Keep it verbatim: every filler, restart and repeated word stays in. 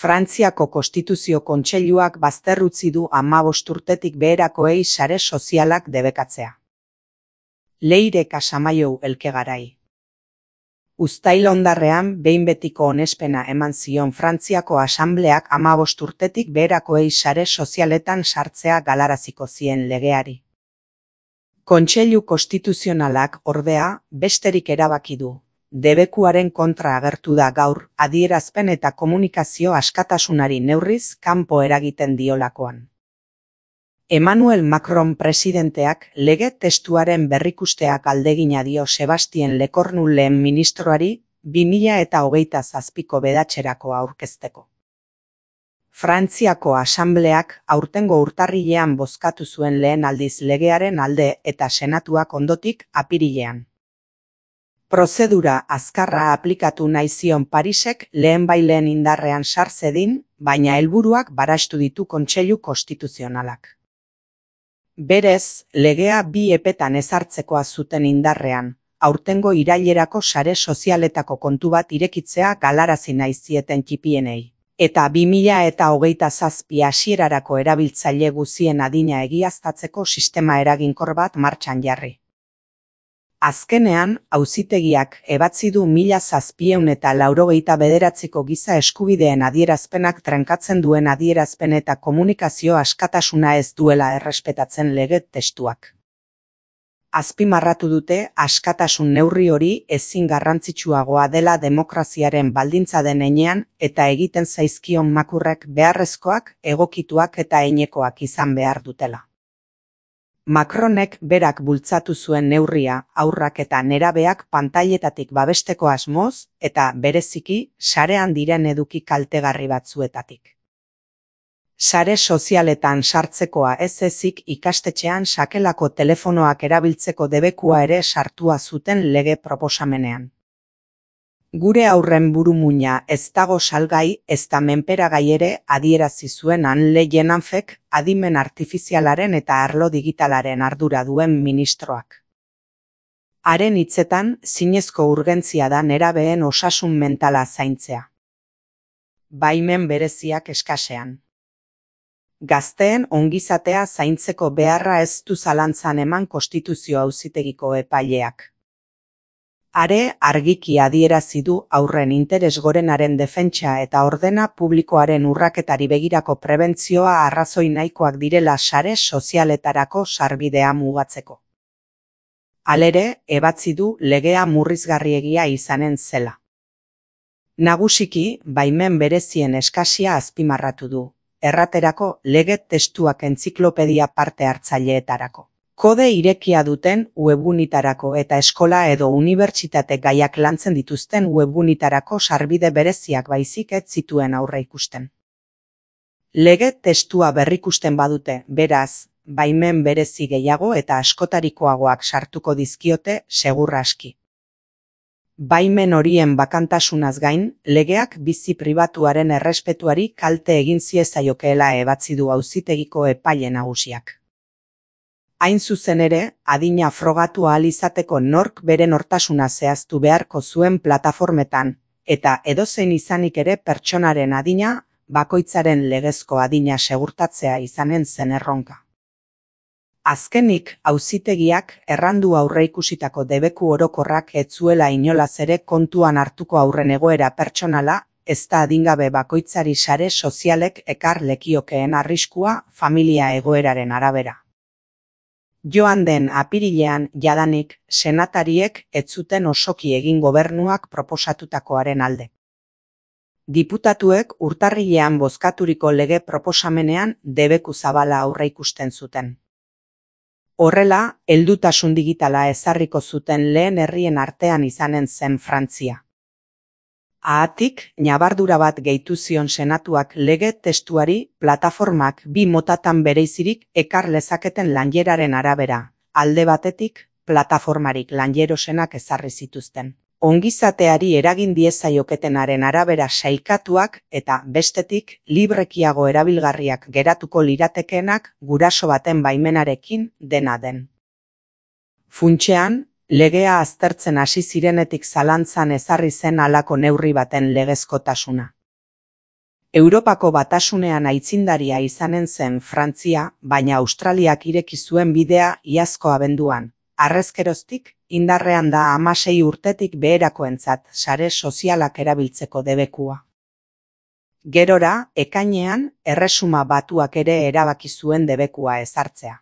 Frantziako Konstituzio Kontseiluak bazterrutzi du hamabost urtetik beherakoei sare sozialak debekatzea. Leire Casamaiou Elkegarai. Uztail hondarrean behin betiko onespena eman zion Frantziako Asambleak hamabost urtetik beherakoei sare sozialetan sartzea galaraziko zien legeari. Kontseilu Konstituzionalak ordea besterik erabaki du. Debekuaren kontra agertu da gaur adierazpen eta komunikazio askatasunari neurriz kanpo eragiten diolakoan. Emmanuel Macron presidenteak lege testuaren berrikusteak aldegina dio Sebastien Lecornu lehen ministroari bi mila eta hogeita zazpiko bedatxerako aurkezteko. Frantziako Asambleak aurtengo urtarrilean bozkatu zuen lehen aldiz legearen alde eta senatuak ondotik apirilean. Prozedura azkarra aplikatu nahi zion Parisek lehenbaileen indarrean sar zedin, baina helburuak barastu ditu Kontseilu Konstituzionalak. Berez, legea bi epetan ezartzekoa zuten indarrean, aurtengo irailerako sare sozialetako kontu bat irekitzea galarazi nahi zieten txipienei, eta bi mila eta hogeita zazpi hasierarako erabiltzaile guzien adina egiaztatzeko sistema eraginkor bat martxan jarri. Azkenean, auzitegiak ebatzi du mila zazpiehun eta laurogeita bederatziko giza eskubideen adierazpenak trenkatzen duen adierazpen eta komunikazio askatasuna ez duela errespetatzen lege testuak. Azpimarratu dute askatasun neurri hori ezin garrantzitsuagoa dela demokraziaren baldintza den heinean eta egiten zaizkion makurrek beharrezkoak, egokituak eta heinekoak izan behar dutela. Macronek berak bultzatu zuen neurria haurrak eta nerabeak pantailetatik babesteko asmoz eta bereziki sarean diren eduki kaltegarri batzuetatik. Sare sozialetan sartzekoa ez ezik ikastetxean sakelako telefonoak erabiltzeko debekua ere sartua zuten lege proposamenean. Gure aurren burumuina ez dago salgai ezta menperagai ere adierazi zuen Anne Jenanfek adimen artifizialaren eta arlo digitalaren ardura duen ministroak. Haren hitzetan, zinezko urgentzia da nerabeen osasun mentala zaintzea. Baimen bereziak eskasean. Gazteen ongizatea zaintzeko beharra ez du zalantzan eman Konstituzio Auzitegiko epaileak. Are argiki adierazi du aurren interes gorenaren defentsa eta ordena publikoaren urraketari begirako prebentzioa arrazoi nahikoak direla sare sozialetarako sarbidea mugatzeko. Halere, ebatzi du legea murrizgarriegia izanen zela. Nagusiki, baimen berezien eskasia azpimarratu du, erraterako lege testuak entziklopedia parte hartzaileetarako. Kode irekia duten webgunitarako eta eskola edo unibertsitate gaiak lantzen dituzten webgunitarako sarbide bereziak baizik ez zituen aurreikusten. Lege testua berrikusten badute, beraz, baimen berezi gehiago eta askotarikoagoak sartuko dizkiote segur aski. Baimen horien bakantasunaz gain, legeak bizi pribatuaren errespetuari kalte egin ziezaiokeela ebatzi du auzitegiko epaile nagusiak. Hain zuzen ere, adina frogatu ahal izateko nork bere nortasuna zehaztu beharko zuen plataformetan, eta edozein izanik ere pertsonaren adina, bakoitzaren legezko adina segurtatzea izanen zen erronka. Azkenik, auzitegiak errandu aurreikusitako debeku orokorrak ez zuela inolaz ere kontuan hartuko aurren egoera pertsonala, ez da adingabe bakoitzari sare sozialek ekar lekiokeen arriskua familia egoeraren arabera. Joan den apirilean jadanik senatariek ez zuten osoki egin gobernuak proposatutakoaren alde. Diputatuek urtarrilean bozkaturiko lege proposamenean debeku zabala aurreikusten zuten. Horrela, heldutasun digitala ezarriko zuten lehen herrien artean izanen zen Frantzia. Haatik, ñabardura bat gehitu zion senatuak lege testuari plataformak bi motatan bereizirik ekar lezaketen lanjeraren arabera, alde batetik, plataformarik lanjerosenak ezarri zituzten. Ongizateari eragin diezaioketenaren arabera sailkatuak eta bestetik librekiago erabilgarriak geratuko liratekeenak guraso baten baimenarekin dena den. Funtsean, legea aztertzen hasi zirenetik zalantzan ezarri zen halako neurri baten legezkotasuna. Europako Batasunean aitzindaria izanen zen Frantzia, baina Australiak ireki zuen bidea iazko abenduan. Harrezkeroztik, indarrean da hamasei urtetik beherakoentzat sare sozialak erabiltzeko debekua. Gerora, ekainean, Erresuma Batuak ere erabaki zuen debekua ezartzea.